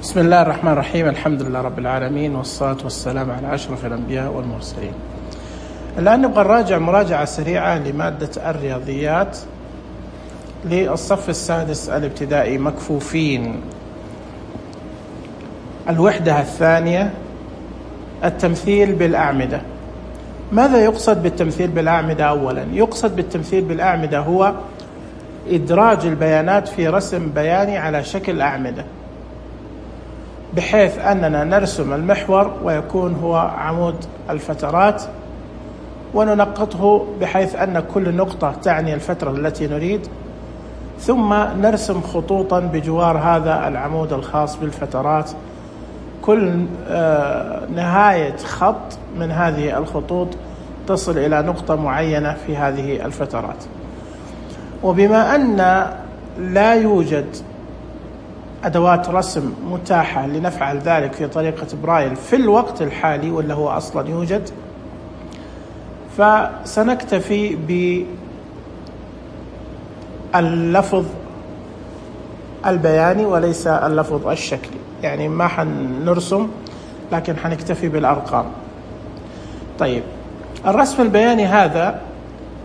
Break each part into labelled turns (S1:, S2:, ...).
S1: بسم الله الرحمن الرحيم. الحمد لله رب العالمين، والصلاة والسلام على أشرف الأنبياء والمرسلين. الآن نبغى نراجع مراجعة سريعة لمادة الرياضيات للصف السادس الابتدائي مكفوفين. الوحدة الثانية، التمثيل بالأعمدة. ماذا يقصد بالتمثيل بالأعمدة؟ أولا يقصد بالتمثيل بالأعمدة هو إدراج البيانات في رسم بياني على شكل أعمدة، بحيث أننا نرسم المحور ويكون هو عمود الفترات، وننقطه بحيث أن كل نقطة تعني الفترة التي نريد، ثم نرسم خطوطا بجوار هذا العمود الخاص بالفترات. كل نهاية خط من هذه الخطوط تصل إلى نقطة معينة في هذه الفترات. وبما أن لا يوجد أدوات رسم متاحة لنفعل ذلك في طريقة برايل في الوقت الحالي، واللي هو أصلا يوجد، فسنكتفي باللفظ البياني وليس اللفظ الشكلي، يعني ما حنرسم لكن حنكتفي بالأرقام. طيب، الرسم البياني هذا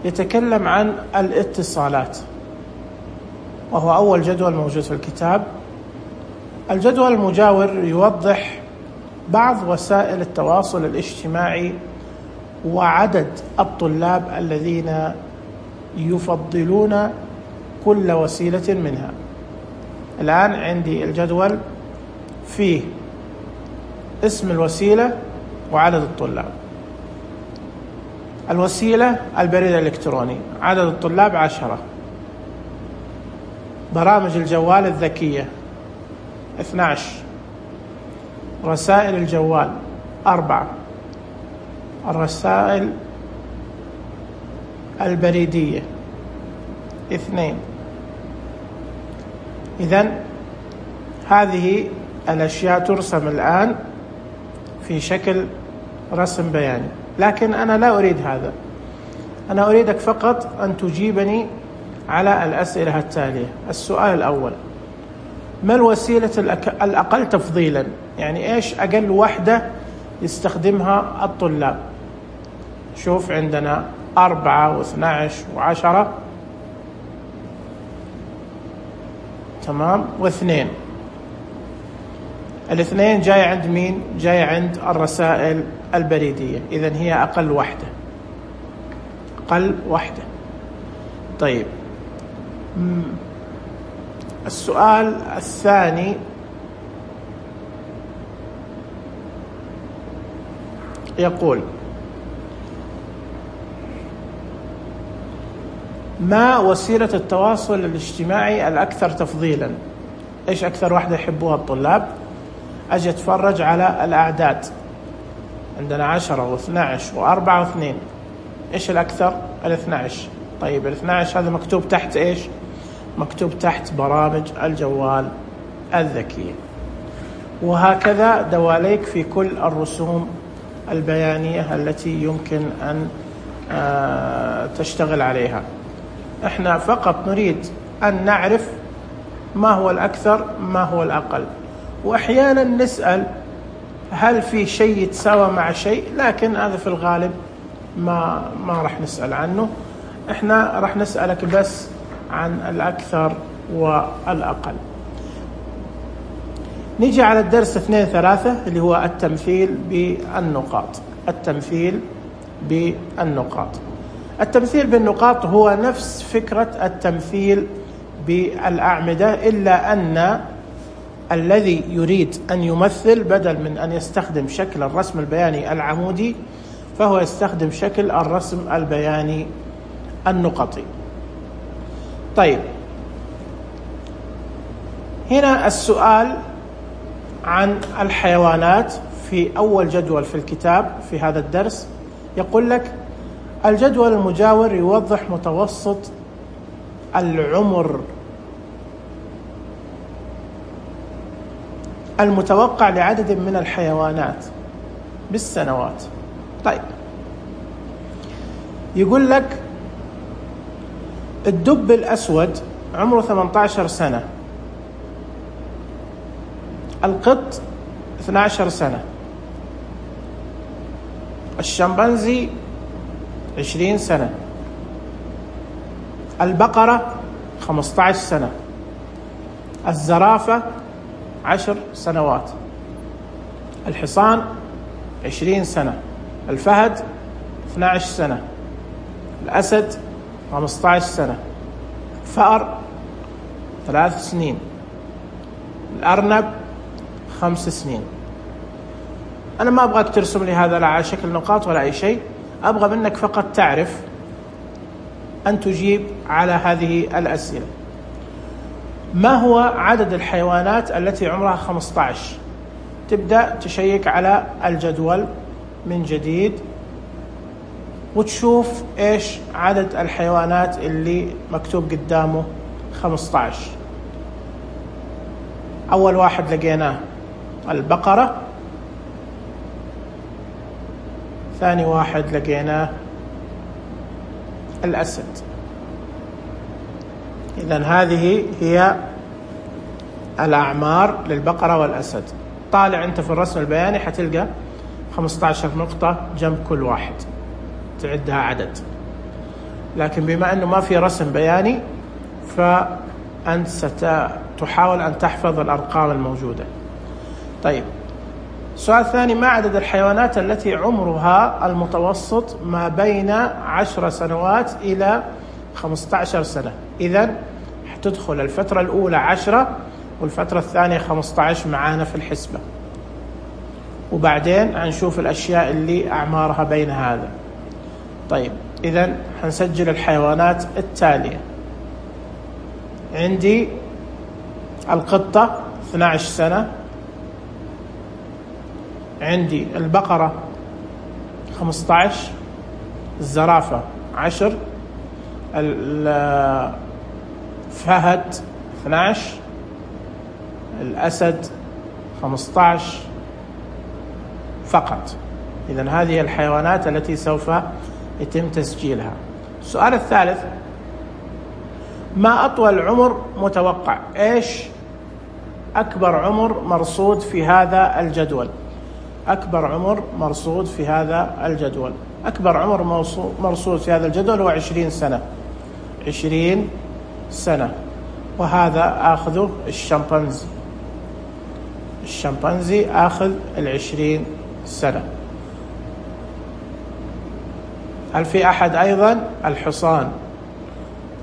S1: يتكلم عن الاتصالات، وهو أول جدول موجود في الكتاب. الجدول المجاور يوضح بعض وسائل التواصل الاجتماعي وعدد الطلاب الذين يفضلون كل وسيلة منها. الآن عندي الجدول فيه اسم الوسيلة وعدد الطلاب. الوسيلة البريد الإلكتروني، عدد الطلاب 10. برامج الجوال الذكية 12. رسائل الجوال 4. الرسائل البريدية 2. إذن هذه الأشياء ترسم الآن في شكل رسم بياني، لكن أنا لا أريد هذا. أنا أريدك فقط أن تجيبني على الأسئلة التالية. السؤال الأول: ما الوسيلة الأقل تفضيلا؟ يعني إيش أقل وحدة يستخدمها الطلاب؟ شوف، عندنا 4 و12 و10، تمام، و2. الاثنين جاي عند مين؟ جاي عند الرسائل البريدية، إذن هي أقل وحدة. أقل وحدة. طيب، السؤال الثاني يقول: ما وسيلة التواصل الاجتماعي الأكثر تفضيلا؟ إيش أكثر واحدة يحبوها الطلاب؟ أجي أتفرج على الأعداد، عندنا 10 و12 و4 و2. إيش الأكثر؟ 12. طيب، 12 هذا مكتوب تحت إيش؟ مكتوب تحت برامج الجوال الذكية. وهكذا دواليك في كل الرسوم البيانية التي يمكن أن تشتغل عليها. احنا فقط نريد أن نعرف ما هو الأكثر ما هو الأقل، وأحيانا نسأل هل في شيء يتساوى مع شيء، لكن هذا في الغالب ما راح نسأل عنه. احنا راح نسألك بس عن الأكثر والأقل. نيجي على الدرس 2-3 اللي هو التمثيل بالنقاط. التمثيل بالنقاط. التمثيل بالنقاط هو نفس فكرة التمثيل بالأعمدة، إلا أن الذي يريد أن يمثل بدل من أن يستخدم شكل الرسم البياني العمودي، فهو يستخدم شكل الرسم البياني النقطي. طيب، هنا السؤال عن الحيوانات في أول جدول في الكتاب في هذا الدرس. يقول لك: الجدول المجاور يوضح متوسط العمر المتوقع لعدد من الحيوانات بالسنوات. طيب، يقول لك الدب الأسود عمره 18 سنة، القط 12 سنة، الشمبانزي 20 سنة، البقرة 15 سنة، الزرافة 10 سنوات، الحصان 20 سنة، الفهد 12 سنة، الأسد 15 سنة، الفأر 3 سنين، الأرنب 5 سنين. أنا ما أبغاك ترسم لي هذا لا على شكل نقاط ولا أي شيء، أبغى منك فقط تعرف أن تجيب على هذه الأسئلة. ما هو عدد الحيوانات التي عمرها 15؟ تبدأ تشيك على الجدول من جديد وتشوف إيش عدد الحيوانات اللي مكتوب قدامه 15. أول واحد لقيناه البقرة، ثاني واحد لقيناه الأسد. إذن هذه هي الأعمار للبقرة والأسد. طالع أنت في الرسم البياني حتلقى 15 نقطة جنب كل واحد تعدها عدد، لكن بما أنه ما في رسم بياني فأنت ستحاول أن تحفظ الأرقام الموجودة. طيب، السؤال الثاني: ما عدد الحيوانات التي عمرها المتوسط ما بين 10 سنوات إلى 15 سنة؟ إذن حتدخل الفترة الأولى 10 والفترة الثانية 15 معانا في الحسبة، وبعدين هنشوف الأشياء اللي أعمارها بين هذا. طيب، إذن هنسجل الحيوانات التالية. عندي القطة 12 سنة، عندي البقرة 15، الزرافة 10، الفهد 12، الأسد 15 فقط. إذن هذه الحيوانات التي سوف يتم تسجيلها. السؤال الثالث: ما أطول عمر متوقع؟ إيش أكبر عمر مرصود في هذا الجدول؟ أكبر عمر مرصود في هذا الجدول، أكبر عمر مرصود في هذا الجدول هو 20 سنة. 20 سنة، وهذا آخذه الشمبانزي. الشمبانزي آخذ 20 سنة. هل في أحد أيضا؟ الحصان.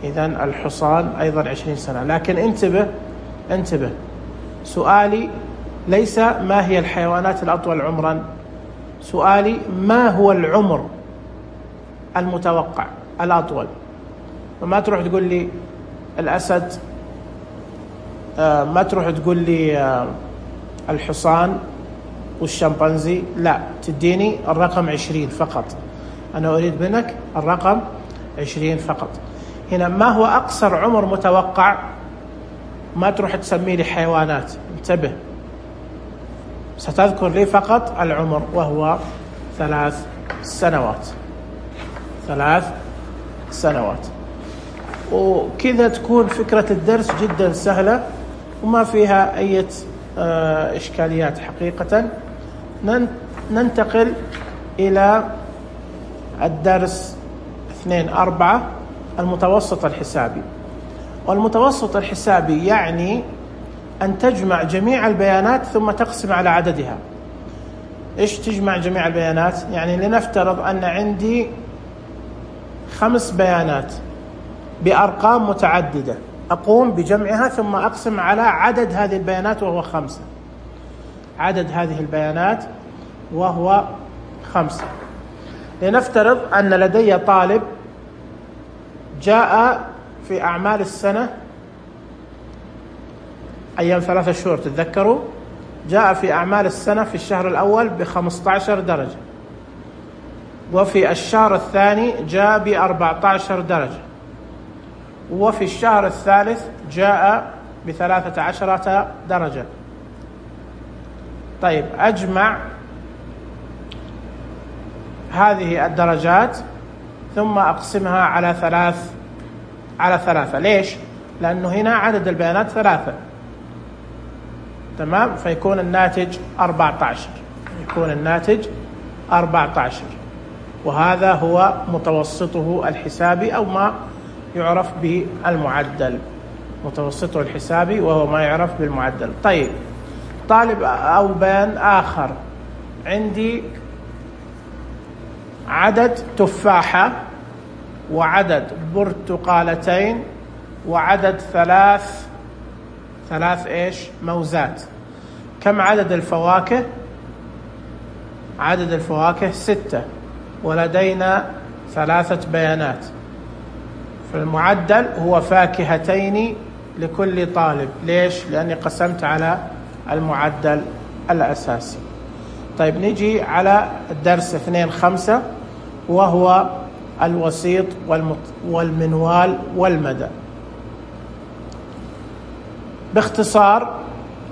S1: إذن الحصان أيضا 20 سنة. لكن انتبه، سؤالي ليس ما هي الحيوانات الأطول عمرا، سؤالي ما هو العمر المتوقع الأطول. وما تروح تقول لي الأسد، ما تروح تقول لي الحصان والشمبانزي، لا، تديني الرقم 20 فقط. أنا أريد منك الرقم 20 فقط. هنا ما هو أقصر عمر متوقع؟ ما تروح تسمي لي حيوانات، انتبه، ستذكر لي فقط العمر وهو 3 سنوات. 3 سنوات. وكذا تكون فكرة الدرس جدا سهلة وما فيها أي إشكاليات حقيقة. ننتقل إلى الدرس 2.4 المتوسط الحسابي. والمتوسط الحسابي يعني أن تجمع جميع البيانات ثم تقسم على عددها. إيش تجمع جميع البيانات؟ يعني لنفترض أن عندي 5 بيانات بأرقام متعددة، أقوم بجمعها ثم أقسم على عدد هذه البيانات وهو 5. عدد هذه البيانات وهو 5. لنفترض أن لدي طالب جاء في أعمال السنة أيام 3 شهور، تتذكروا؟ جاء في أعمال السنة في الشهر الأول ب15 درجة، وفي الشهر الثاني جاء ب14 درجة، وفي الشهر الثالث جاء ب13 درجة. طيب، أجمع هذه الدرجات ثم أقسمها على 3. ليش؟ لأنه هنا عدد البيانات 3. تمام، فيكون الناتج 14. يكون الناتج 14، وهذا هو متوسطه الحسابي أو ما يعرف بالمعدل. متوسطه الحسابي وهو ما يعرف بالمعدل. طيب، طالب أو بيان آخر، عندي عدد تفاحة وعدد برتقالتين وعدد ثلاث موزات. كم عدد الفواكه؟ عدد الفواكه 6، ولدينا 3 بيانات. فالمعدل هو فاكهتين لكل طالب. ليش؟ لأني قسمت على المعدل الأساسي. طيب، نجي على الدرس 2.5 وهو الوسيط والمنوال والمدى. باختصار،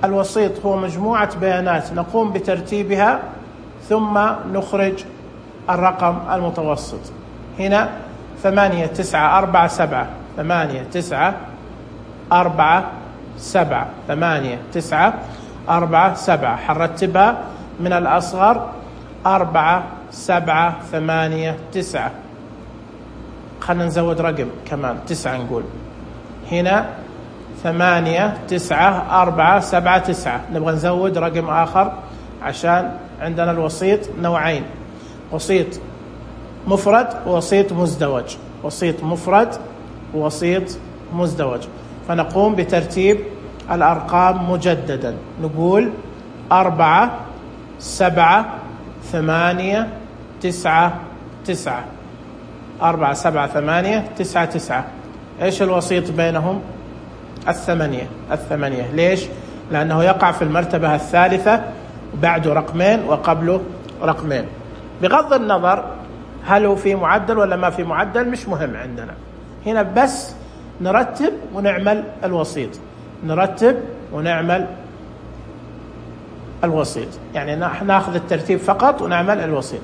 S1: الوسيط هو مجموعة بيانات نقوم بترتيبها ثم نخرج الرقم المتوسط. هنا 8 9 4 7 8 9 4 7 8 9 4 7. حنرتبها من الأصغر 4 7 8 9. خلنا نزود رقم كمان 9. نقول هنا 8 9 4 7 9. نبغى نزود رقم آخر عشان عندنا الوسيط نوعين: وسيط مفرد ووسيط مزدوج. وسيط مفرد ووسيط مزدوج. فنقوم بترتيب الأرقام مجددا. نقول 4 7 8 9 9. 4 7 8 9 9. إيش الوسيط بينهم؟ 8. ليش؟ لأنه يقع في المرتبة الثالثة، بعده رقمين وقبله رقمين. بغض النظر هل هو في معدل ولا ما في معدل، مش مهم عندنا. هنا بس نرتب ونعمل الوسيط. نرتب ونعمل الوسيط، يعني ناخذ الترتيب فقط ونعمل الوسيط.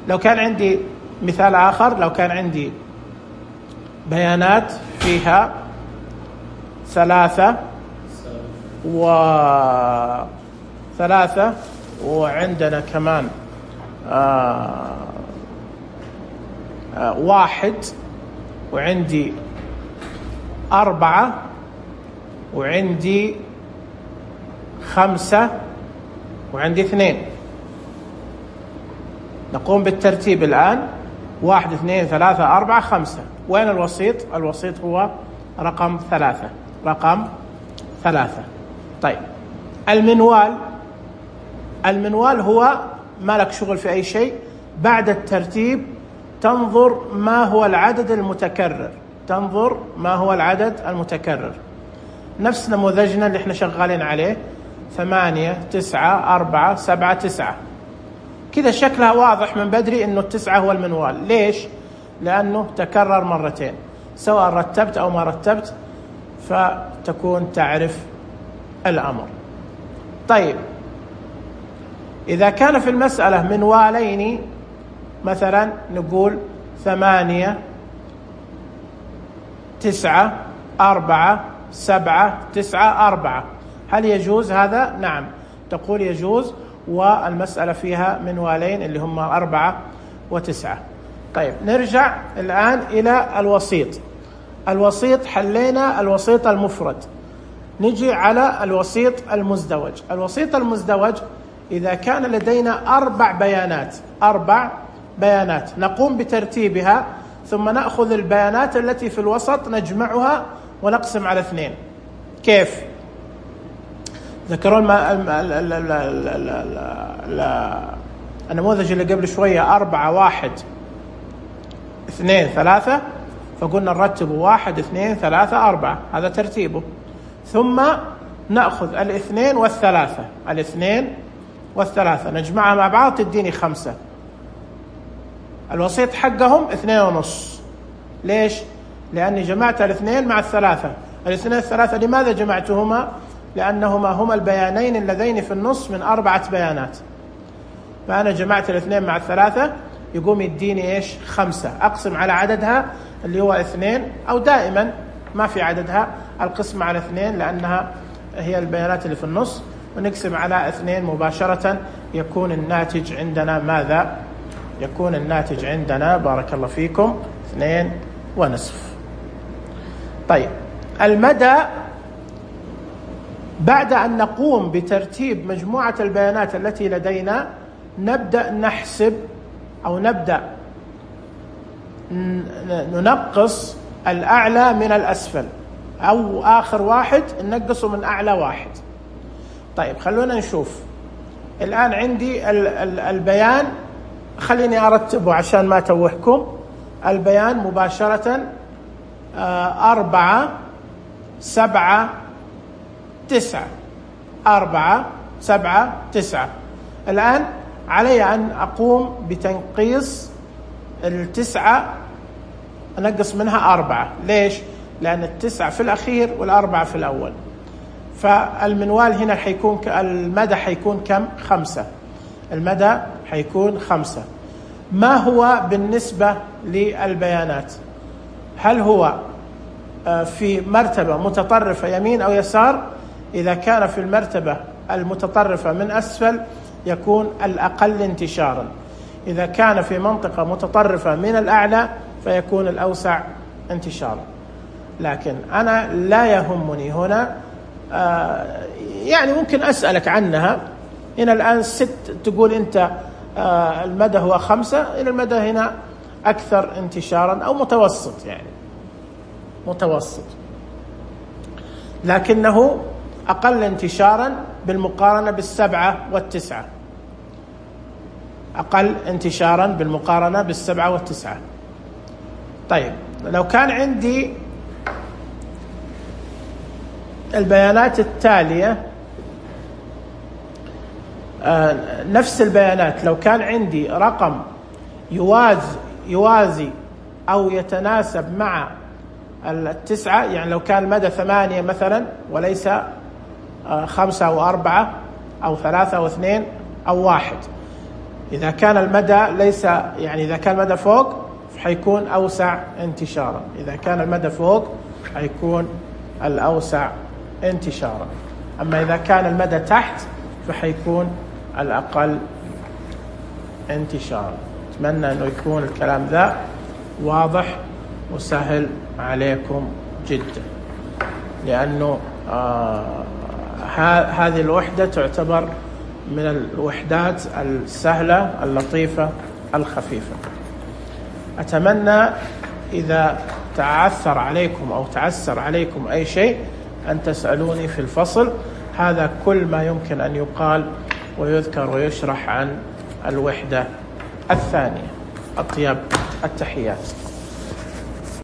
S1: لو كان عندي مثال آخر، لو كان عندي بيانات فيها 3 وعندنا كمان 1 وعندي 4 وعندي 5 وعندي 2. نقوم بالترتيب الآن: 1 2 3 4 5. وين الوسيط؟ الوسيط هو رقم 3. رقم 3. طيب، المنوال هو ما لك شغل في أي شيء. بعد الترتيب تنظر ما هو العدد المتكرر. تنظر ما هو العدد المتكرر. نفس نموذجنا اللي احنا شغالين عليه: 8 9 4 7 9. كذا شكلها واضح من بدري انه 9 هو المنوال. ليش؟ لأنه تكرر مرتين، سواء رتبت أو ما رتبت، فتكون تعرف الأمر. طيب، إذا كان في المسألة منوالين، مثلا نقول 8 9 4 7 9 4. هل يجوز هذا؟ نعم، تقول يجوز، والمسألة فيها منوالين اللي هم 4 و9. طيب، نرجع الآن إلى الوسيط. الوسيط حلينا الوسيط المفرد. نجي على الوسيط المزدوج. الوسيط المزدوج إذا كان لدينا 4 بيانات نقوم بترتيبها، ثم نأخذ البيانات التي في الوسط نجمعها ونقسم على 2. كيف؟ ذكرون النموذج اللي قبل شوية: 4 1 2 3. فقلنا نرتب 1 2 3 4. هذا ترتيبه. ثم نأخذ 2 والثلاثة. 2 والثلاثة نجمعها مع بعض تديني 5. الوسيط حقهم 2.5. ليش؟ لأني جمعت 2 مع 3. 2 والثلاثة لماذا جمعتهما؟ لأنهما هما البيانين اللذين في النص من 4 بيانات. فأنا جمعت 2 مع 3 يقوم يديني 5. أقسم على عددها اللي هو 2، أو دائما ما في عددها القسمة على 2 لأنها هي البيانات اللي في النص، ونقسم على 2 مباشرة، يكون الناتج عندنا ماذا؟ يكون الناتج عندنا بارك الله فيكم 2.5. طيب المدى، بعد أن نقوم بترتيب مجموعة البيانات التي لدينا نبدأ نحسب أو نبدأ ننقص الأعلى من الأسفل، أو آخر واحد ننقصه من أعلى واحد. طيب خلونا نشوف الآن عندي البيان، خليني أرتبه عشان ما توهكم. البيان مباشرة 4 7 9، 4 7 9. الآن علي أن أقوم بتنقيص 9، أنقص منها 4. ليش؟ لأن 9 في الأخير وال4 في الأول. فالمنوال هنا حيكون المدى حيكون كم؟ 5. المدى حيكون 5. ما هو بالنسبة للبيانات؟ هل هو في مرتبة متطرفة يمين أو يسار؟ إذا كان في المرتبة المتطرفة من أسفل يكون الأقل انتشارا، إذا كان في منطقة متطرفة من الأعلى فيكون الأوسع انتشارا. لكن أنا لا يهمني هنا، يعني ممكن أسألك عنها. هنا الآن 6 تقول أنت المدى هو 5، إلى المدى هنا أكثر انتشارا أو متوسط، يعني متوسط، لكنه أقل انتشارا بالمقارنة بال7 وال9، أقل انتشارا بالمقارنة بال7 وال9. طيب لو كان عندي البيانات التالية، نفس البيانات، لو كان عندي رقم يوازي أو يتناسب مع 9، يعني لو كان المدى 8 مثلا وليس 5 أو 4 أو 3 أو 2 أو 1، إذا كان المدى ليس، يعني إذا كان المدى فوق حيكون أوسع انتشارا، إذا كان المدى فوق حيكون الأوسع انتشارا. أما إذا كان المدى تحت فحيكون الأقل انتشارا. أتمنى أنه يكون الكلام ذا واضح وسهل عليكم جدا، لأنه هذه الوحدة تعتبر من الوحدات السهلة اللطيفة الخفيفة. أتمنى إذا تعثر عليكم أو تعسر عليكم أي شيء أن تسألوني في الفصل. هذا كل ما يمكن أن يقال ويذكر ويشرح عن الوحدة الثانية. أطيب التحيات.